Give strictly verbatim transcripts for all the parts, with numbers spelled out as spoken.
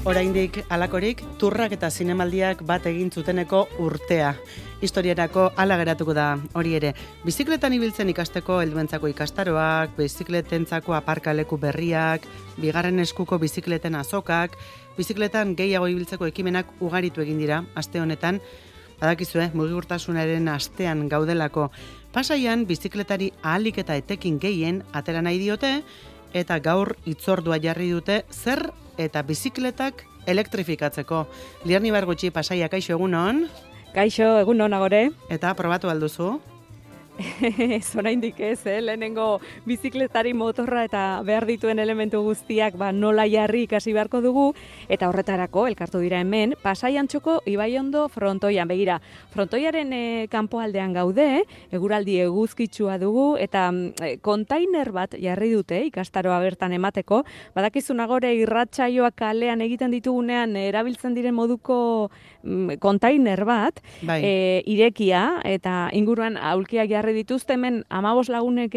oraindik alakorik turrak eta zinemaldiak bat egin zuteneko urtea. Historiarako hala geratuko da hori ere. Bizikletan ibiltzen ikasteko helduentzako ikastaroak, bizikletentzako aparkaleku berriak, bigarren eskuko bizikleten azokak, bizikletan gehiago ibiltzeko ekimenak ugaritu egin dira aste honetan. Badakizue, mugikortasunaren astean gaudelako. Pasaian bizikletari ahalik eta etekin gehien atera nahi diote, eta gaur hitzordua jarri dute zer eta bizikletak elektrifikatzeko. Liarni Bargutxi, Pasaia, kaixo egunon? Kaixo, egunon agore. Eta probatu alduzu? Ez oraindik ez, eh? Lehenengo bizikletari motorra eta behar dituen elementu guztiak ba, nola jarri ikasi beharko dugu, eta horretarako elkartu dira hemen, Pasaian txoko Ibaiondo frontoian. Begira, frontoiaren e, kanpoaldean gaude, eguraldi eguzkitsua dugu, eta e, kontainer bat jarri dute ikastaroa bertan emateko. Badakizun agore irratsaioak kalean egiten ditugunean erabiltzen diren moduko mm, kontainer bat, bai. e, irekia, eta inguruan aulkiak jarri dituzte, hemen hamabost lagunek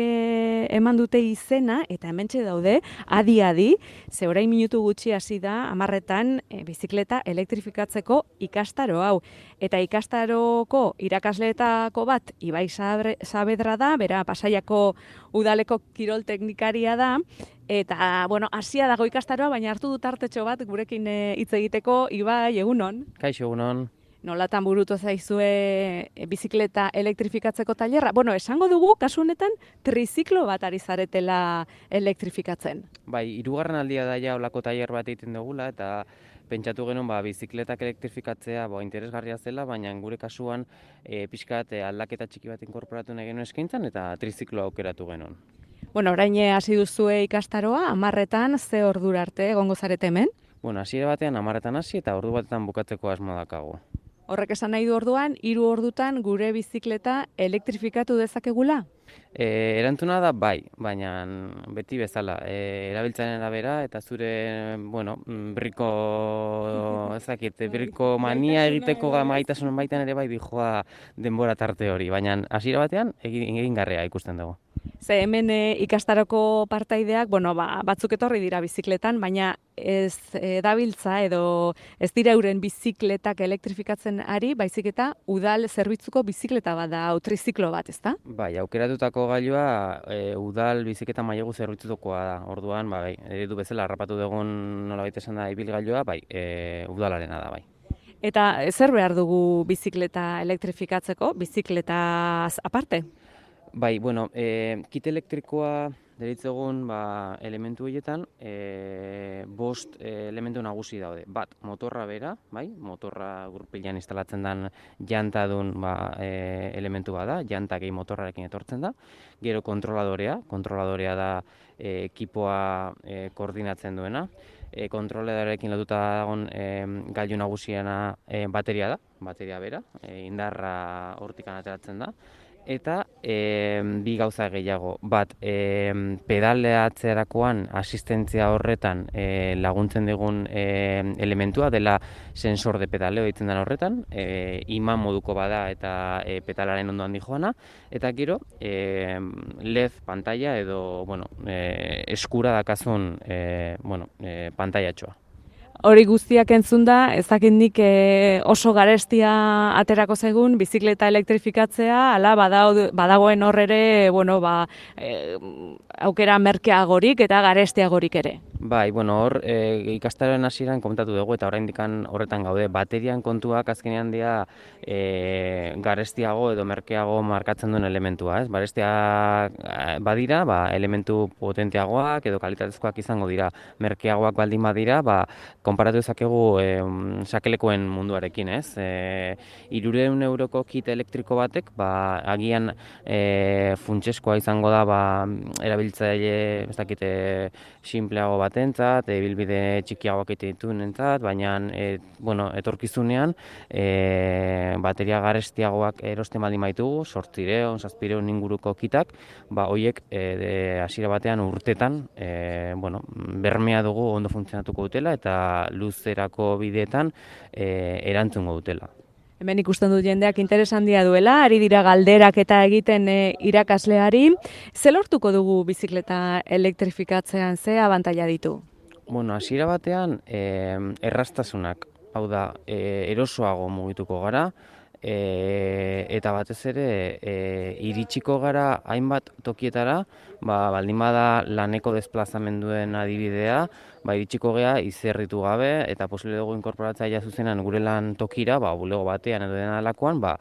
eman dute izena, eta hementxe daude, adi-adi, ze orain minutu gutxi hasi da, hamarretan e, bizikleta elektrifikatzeko ikastaro hau. Eta ikastaroko irakasleetako bat, Ibai Saavedra da, bera Pasaiako udaleko kirol teknikaria da, eta, bueno, hasia dago ikastaroa, baina hartu dut artetxo bat gurekin hitz egiteko. Ibai, egunon? Kaixo, egunon. Nolatan burutu zaizue e, bizikleta elektrifikatzeko tailerra? Bueno, esango dugu, kasu honetan, triziklo bat ari zaretela elektrifikatzen. Bai, hirugarren aldia da ja olako tailer bat egiten dugula, eta pentsatu genuen ba, bizikletak elektrifikatzea ba, interesgarria zela, baina gure kasuan e, pixkat e, aldaketa txiki bat inkorporatu nahi genuen eskaintzan, eta triziklo aukeratu genuen. Bueno, orain hasi duzue ikastaroa, hamarretan ze ordura arte egongo zarete hemen? Bueno, hasiera batean hamarretan hasi eta ordu batetan bukatzeko asmo dakago. Horrek esan nahi du orduan, hiru ordutan gure bizikleta elektrifikatu dezakegula? E, erantzuna da bai, baina beti bezala, e, erabiltzaren arabera eta zure, bueno, birriko, ezakit, birriko mania egiteko gaitasunen baitan ere bai dijoa denbora tarte hori, baina hasiera batean egin, egingarria ikusten dugu. Ze hemen e, ikastaroko partaideak, bueno, ba, batzuk etorri dira bizikletan, baina ez e, dabiltza edo ez dira euren bizikletak elektrifikatzen ari, baizik eta udal zerbitzuko bizikleta bat da, triziklo bat, ezta? Bai, aukeratutako gailua e, udal bizikleta mailegu zerbitzukoa da. Orduan, ba, bai, eredu bezala harrapatu dugun nolabait esan da ibilgailua, bai, e, udalarena da, bai. Eta zer behar dugu bizikleta elektrifikatzeko, bizikletaz aparte? Bai, bueno, e, kit elektrikoa deritzegun ba, elementu horietan e, bost e, elementu nagusi daude. Bat, motorra bera, bai, motorra gurpilean instalatzen den jantadun ba, e, elementu bada, janta gehi motorrarekin etortzen da. Gero kontroladorea, kontroladorea da e, ekipoa e, koordinatzen duena. E, kontroladorekin lotuta dagoen e, gailu nagusiena e, bateria da, bateria bera, e, indarra hortikan ateratzen da. Eta e, bi gauza gehiago, bat e, pedaleatzerakoan asistentzia horretan e, laguntzen digun e, elementua dela sensor de pedaleo ditzen den horretan, e, iman moduko bada eta e, pedalaren ondoan dijoana, eta gero e, L E D pantalla edo bueno, e, eskura dakazun e, bueno, e, pantailatxoa. Hori guztiak entzunda, ezakit nik e, oso garestia aterako zaigun bizikleta elektrifikatzea, ala badagoen hor ere, bueno, ba, e, aukera merkeagorik eta garestiagorik ere. Bai, bueno, hor e, ikastaroen hasieran komentatu dugu eta oraindik horretan gaude. Baterian kontuak azkenean dira e, garestiago edo merkeago markatzen duen elementua, ez? Garestia badira, ba, elementu potenteagoak edo kalitatezkoak izango dira. Merkeagoak baldin badira, ba, konparatu dezakegu e, sakelekoen munduarekin, ez? E, hirurehun euroko kit elektriko batek, ba, agian e, funtseskoa izango da, ba, erabiltzaile, ez dakite, sinpleago batentzat, ibilbide txikiagoak egiten dituenentzat, baina e, bueno, etorkizunean e, bateria garestiagoak erosten baldin baitugu, zortziehun, zazpiehun inguruko kitak, ba hoiek e, hasiera batean urtetan e, bueno, bermea dugu ondo funtzionatuko dutela eta luzerako bideetan e, erantzungo dutela. Hemen ikusten dut jendeak interes handia duela, ari dira galderak eta egiten e, irakasleari. Ze lortuko dugu bizikleta elektrifikatzean, ze abantaila ditu? Bueno, hasiera batean e, errastasunak, hau da, e, erosoago mugituko gara, e, eta batez ere e, iritsiko gara hainbat tokietara, ba, baldin bada laneko desplazamenduen adibidea, ba, iritsiko gea izerritu gabe, eta posible dugu inkorporatzea ja zuzenan gure lan tokira, ba, bulego batean edo dena delakoan, ba,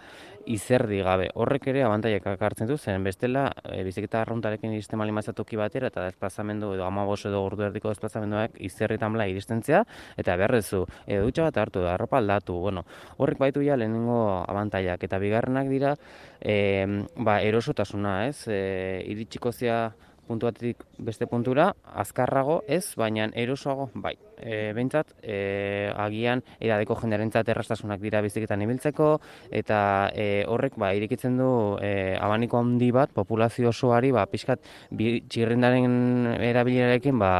izerdi gabe. Horrek ere abantaiak hartzen du, zen bestela e, biziketa arruntarekin iristen baldin bazara toki batera eta desplazamendu edo hamabost edo ordu erdiko desplazamenduak izerritan bla iristentzea, eta beharrezu edo dutxa bat hartu, da arropa aldatu, bueno, horrek baitu ja lehenengo abantaiak, eta bigarrenak dira e, ba, erosotasuna, ez? E, iritsiko zea puntu batetik beste puntura, azkarrago ez, baina erosoago bai. E, behintzat, e, agian edadeko jendearentzat errastasunak dira biziketan ibiltzeko, eta e, horrek ba, irekitzen du e, abaniko handi bat, populazio osoari, ba, pixkat bi, txirrindaren erabilerarekin ba,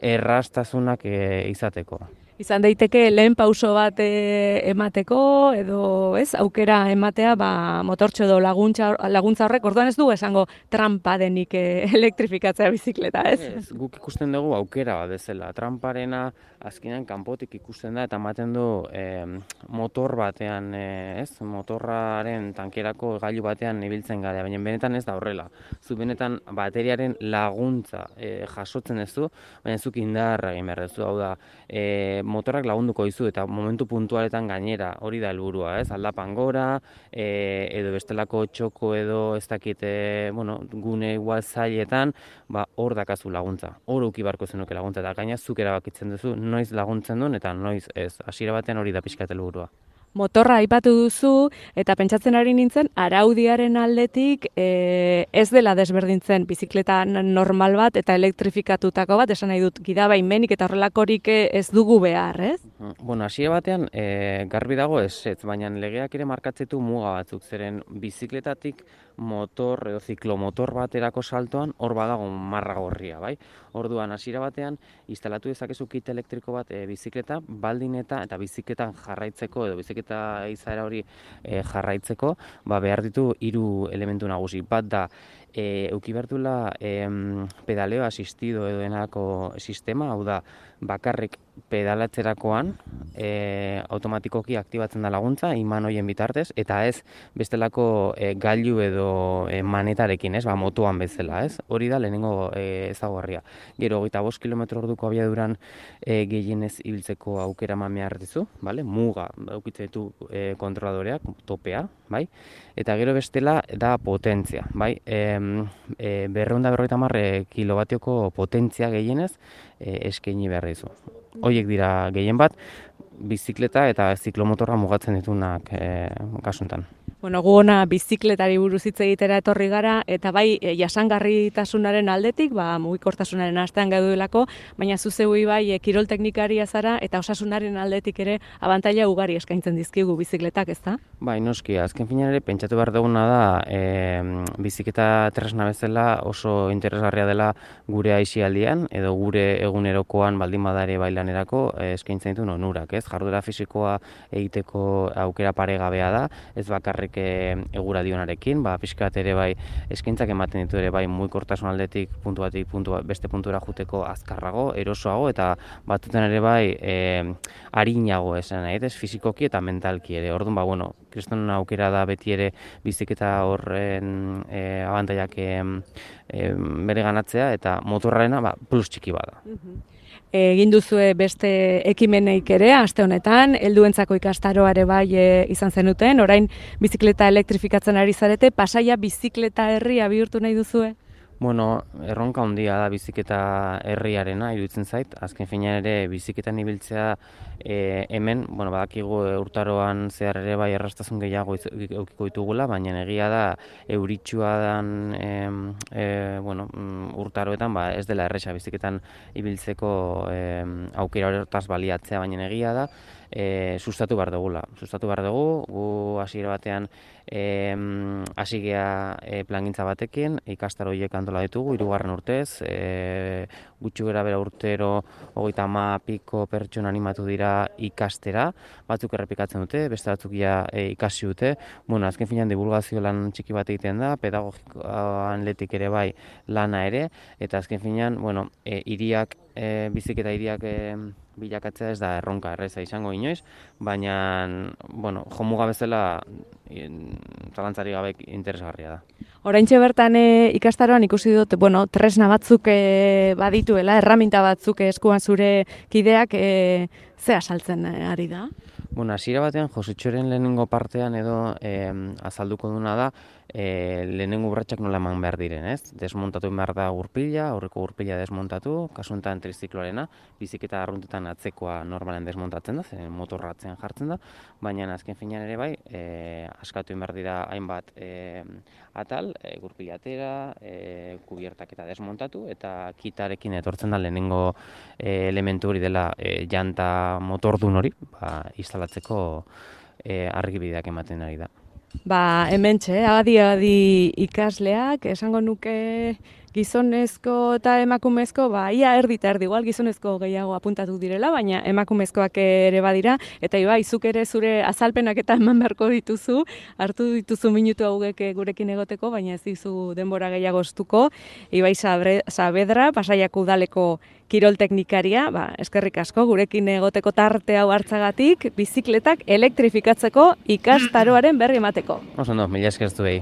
errastasunak e, izateko. Izan daiteke lehen pauso bat e, emateko edo ez aukera ematea ba, motortxo edo laguntza, laguntza horrek, orduan ez du esango trampa denik e, elektrifikatzea bizikleta, ez? Ez, guk ikusten dugu aukera bat bezala. Tramparena azkenean kanpotik ikusten da eta ematen du e, motor batean, e, ez? Motorraren tankerako gailu batean ibiltzen gara, baina benetan ez da horrela. Zu benetan bateriaren laguntza e, jasotzen ez du, baina zuk indarra egin behar duzu, hau da, e, motorrak lagunduko dizu eta momentu puntualetan gainera, hori da helburua, ez? Aldapan gora, e, edo bestelako txoko edo ez dakit, e, bueno, gune igual zailetan, ba, hor dakazu laguntza. Hor uki barko zenuke laguntza, eta gaina zuk erabakitzen duzu, noiz laguntzen duen eta noiz ez. Hasiera batean hori da pixka helburua. Motorra aipatu duzu, eta pentsatzen ari nintzen, araudiaren aldetik e, ez dela desberdintzen bizikleta normal bat eta elektrifikatutako bat, esan nahi dut, gidabaimenik eta horrelakorik ez dugu behar, ez? Bueno, hasiera batean e, garbi dago ez, ez, baina legeak ere markatzetu muga batzuk, zeren bizikletatik motor edo ziklomotor baterako saltoan hor badago marra gorria, bai? Orduan hasiera batean instalatu dezakezu kit elektriko bat e, bizikleta baldin eta eta bizikletan jarraitzeko edo bizikleta izaera hori e, jarraitzeko, ba behar ditu hiru elementu nagusi. Bat da e, euki bertula e, pedaleo asistido edo denako sistema, hau da bakarrik pedalatzerakoan e, automatikoki aktibatzen da laguntza iman hoien bitartez, eta ez bestelako e, gailu edo e, manetarekin, ez, ba, motoan bezala, ez? Hori da lehenengo e, ezaugarria. Gero, hogeita bost kilometro orduko abiaduran e, gehienez ibiltzeko aukera eman behar dizu, bale? Muga edukitzen ditu e, kontroladoreak, topea, bai? Eta gero bestela da potentzia, bai? E, e, berrehun eta berrogeita hamar kilobatioko potentzia gehienez e, eskaini behar dizu. Hoiek dira gehien bat, bizikleta eta ziklomotorra mugatzen ditunak e, kasuntan. Bueno, gu ona bizikletari buruz hitz egitera etorri gara, eta bai e, jasangarritasunaren aldetik, ba, mugikortasunaren astean gaudelako, baina zu zeui bai e, kirol teknikaria zara eta osasunaren aldetik ere abantaila ugari eskaintzen dizkigu bizikletak, ezta? Bai, noski, azken finean ere pentsatu behar duguna da e, bizikleta tresna bezala oso interesgarria dela gure aisialdian edo gure egunerokoan baldin badare bailanerako e, eskaintzen ditu onurak, ez? Jarduera fisikoa egiteko aukera paregabea da, ez bakarrik eguraldionarekin, ba, pixkat ere bai eskaintzak ematen ditu ere bai mugikortasun aldetik puntu batik puntu beste puntura juteko azkarrago, erosoago eta batzutan ere bai e, arinago esan nahi, ez fisikoki eta mentalki ere. Orduan ba bueno, kriston aukera da beti ere biziketa horren e, abantaiak e, e, bere ganatzea eta motorrarena ba, plus txiki bada. Egin duzue beste ekimeneik ere, aste honetan, helduentzako ikastaroare bai e, izan zenuten, orain bizikleta elektrifikatzen ari zarete, Pasaia bizikleta herria bihurtu nahi duzue? Bueno, erronka handia da biziketa herriarena, iruditzen zait. Azken finean ere biziketan ibiltzea e, hemen, bueno, badakigu urtaroan zehar ere bai erraztasun gehiago edukiko ditugula, baina egia da euritsua dan e, e, bueno, urtaroetan ba, ez dela erresa biziketan ibiltzeko e, aukera horretaz baliatzea, baina egia da e, sustatu behar dugula. Sustatu behar dugu, gu hasiera batean e, hasi gea e, plangintza batekin, ikastaro horiek antola ditugu, hirugarren urtez, e, gutxi gara bera urtero, hogeita ama piko pertsona animatu dira ikastera, batzuk errepikatzen dute, beste batzuk ja e, ikasi dute. Bueno, azken finean divulgazio lan txiki bat egiten da, pedagogikoan letik ere bai lana ere, eta azken finean, bueno, e, hiriak, e, biziketa hiriak e, bilakatzea ez da erronka erreza izango inoiz, baina, bueno, jomuga bezala zalantzari gabe interesgarria da. Oraintxe bertan e, ikastaroan ikusi dut, bueno, tresna batzuk e, badituela, erraminta batzuk eskuan zure kideak, e, ze asaltzen ari da? Bueno, hasiera batean Josutxoren lehenengo partean edo eh, azalduko duna da eh, lehenengo urratsak nola eman behar diren, ez? Desmontatu behar da gurpila, aurreko gurpila desmontatu, kasu honetan trizikloarena, biziketa arruntetan atzekoa normalen desmontatzen da, zen motorra atzean jartzen da, baina azken finean ere bai, eh, askatu behar dira hainbat eh, atal, eh, gurpila atera, eh, kubiertak eta desmontatu, eta kitarekin etortzen da lehenengo eh, elementu hori dela eh, janta motordun hori, ba, instalatzeko e, argibideak ematen ari da. Ba, hementxe, adi-adi ikasleak, esango nuke gizonezko eta emakumezko, ba, ia erdi eta erdi, igual gizonezko gehiago apuntatu direla, baina emakumezkoak ere badira, eta iba, izuk ere zure azalpenak eta eman beharko dituzu, hartu dituzu minutu hauek gurekin egoteko, baina ez dizu denbora gehiago estuko. Ibai Saavedra, Pasaiako udaleko kirol teknikaria, ba, eskerrik asko gurekin egoteko tarte hau hartzagatik, bizikletak elektrifikatzeko ikastaroaren berri emateko. Oso ondo, mila esker zuei.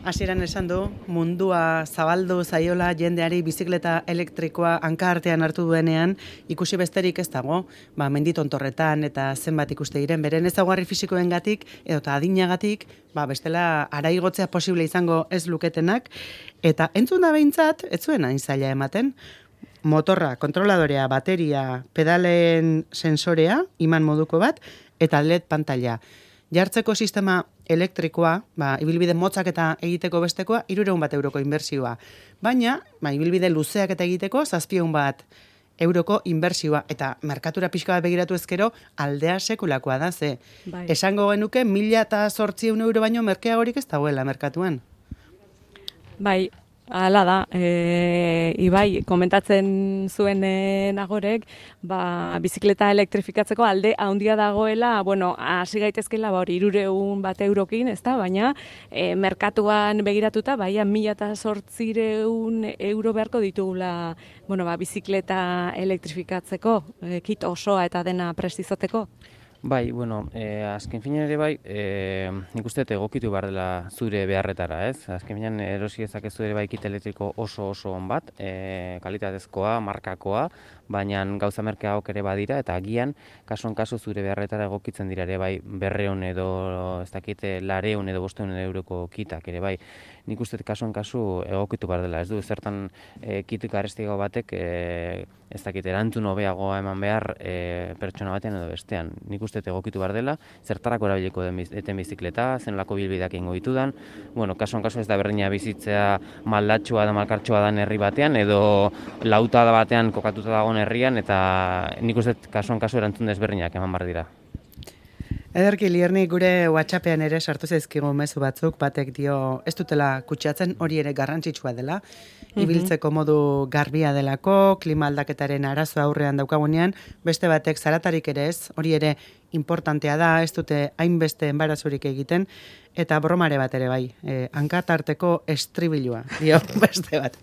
Hasieran esan du, mundua zabaldu zaiola jendeari bizikleta elektrikoa hanka artean hartu duenean, ikusi besterik ez dago, ba, menditontorretan eta zenbat ikuste diren, beren ezaugarri fisikoengatik edo eta adinagatik, ba, bestela araigotzea posible izango ez luketenak, eta entzun da behintzat, ez zuen hain zaila ematen, motorra, kontroladorea, bateria, pedalen sensorea, iman moduko bat, eta L E D pantalla. Jartzeko sistema elektrikoa, ba, ibilbide motzak eta egiteko bestekoa, hirurehun bat euroko inbertsioa. Baina, ba, ibilbide luzeak eta egiteko, zazpiehun bat euroko inbertsioa. Eta merkatura pixka bat begiratu ezkero, aldea sekulakoa da, ze. Bai. Esango genuke, mila eta zortziehun euro baino merkeagorik ez dagoela merkatuan. Bai. Hala da, e, Ibai, komentatzen zuen e, nagorek, ba, bizikleta elektrifikatzeko alde handia dagoela, bueno, hasi gaitezkela ba, hori hirurehun bat eurokin, ezta, baina e, merkatuan begiratuta, baina mila eta zortziehun euro beharko ditugula, bueno, ba, bizikleta elektrifikatzeko, e, kit osoa eta dena prest izateko. Bai, bueno, eh, azken finean ere bai, eh, nik uste egokitu behar dela zure beharretara, ez? Azken finean erosi ezakezu ere bai kit elektriko oso oso on bat, eh, kalitatezkoa, markakoa, baina gauza merkeagoak ere badira, eta agian, kasuan kasu zure beharretara egokitzen dira ere bai berreun edo, ez dakite, lareun edo bosteun euroko kitak ere bai. Nik uste kasuan kasu egokitu behar dela, ez du, zertan e, kit garestiago batek, e, ez dakit, erantzun hobeagoa eman behar e, pertsona batean edo bestean. Nik uste egokitu behar dela, zertarako erabiliko eten bizikleta, zenolako bilbideak ingo ditudan. Bueno, kasuan kasu ez da berdina bizitzea maldatxua da malkartxua dan herri batean, edo lauta batean kokatuta dagoen herrian, eta nik uste kasuan kasu erantzun desberdinak eman behar dira. Ederki, Lierni, gure WhatsAppean ere sartu zaizkigu mezu batzuk, batek dio ez dutela kutsatzen, hori ere garrantzitsua dela, ibiltzeko modu garbia delako, klima aldaketaren arazo aurrean daukagunean, beste batek zaratarik ere ez, hori ere importantea da, ez dute hainbeste enbarazurik egiten, eta bromare bat ere bai, eh, hankatarteko estribilua, dio beste bat.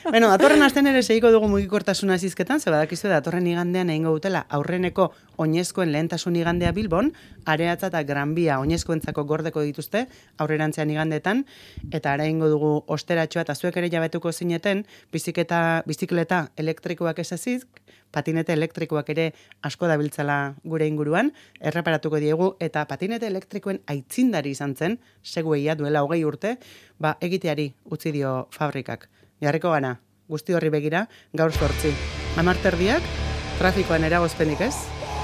Bueno, datorren asten ere segiko dugu mugikortasuna zizketan, ze badakizu datorren igandean egingo dutela aurreneko oinezkoen lehentasun igandea Bilbon, Areatza eta Gran Bia oinezkoentzako gordeko dituzte aurrerantzean igandetan, eta ara egingo dugu osteratxoa eta zuek ere jabetuko zineten, biziketa, bizikleta elektrikoak esaziz, patinete elektrikoak ere asko dabiltzala gure inguruan, erreparatuko diegu, eta patinete elektrikoen aitzindari izan zen, segueia duela hogei urte, ba, egiteari utzi dio fabrikak. Jarriko gana, guzti horri begira, gaur zortzi. Hamarterdiak, trafikoan eragozpenik ez?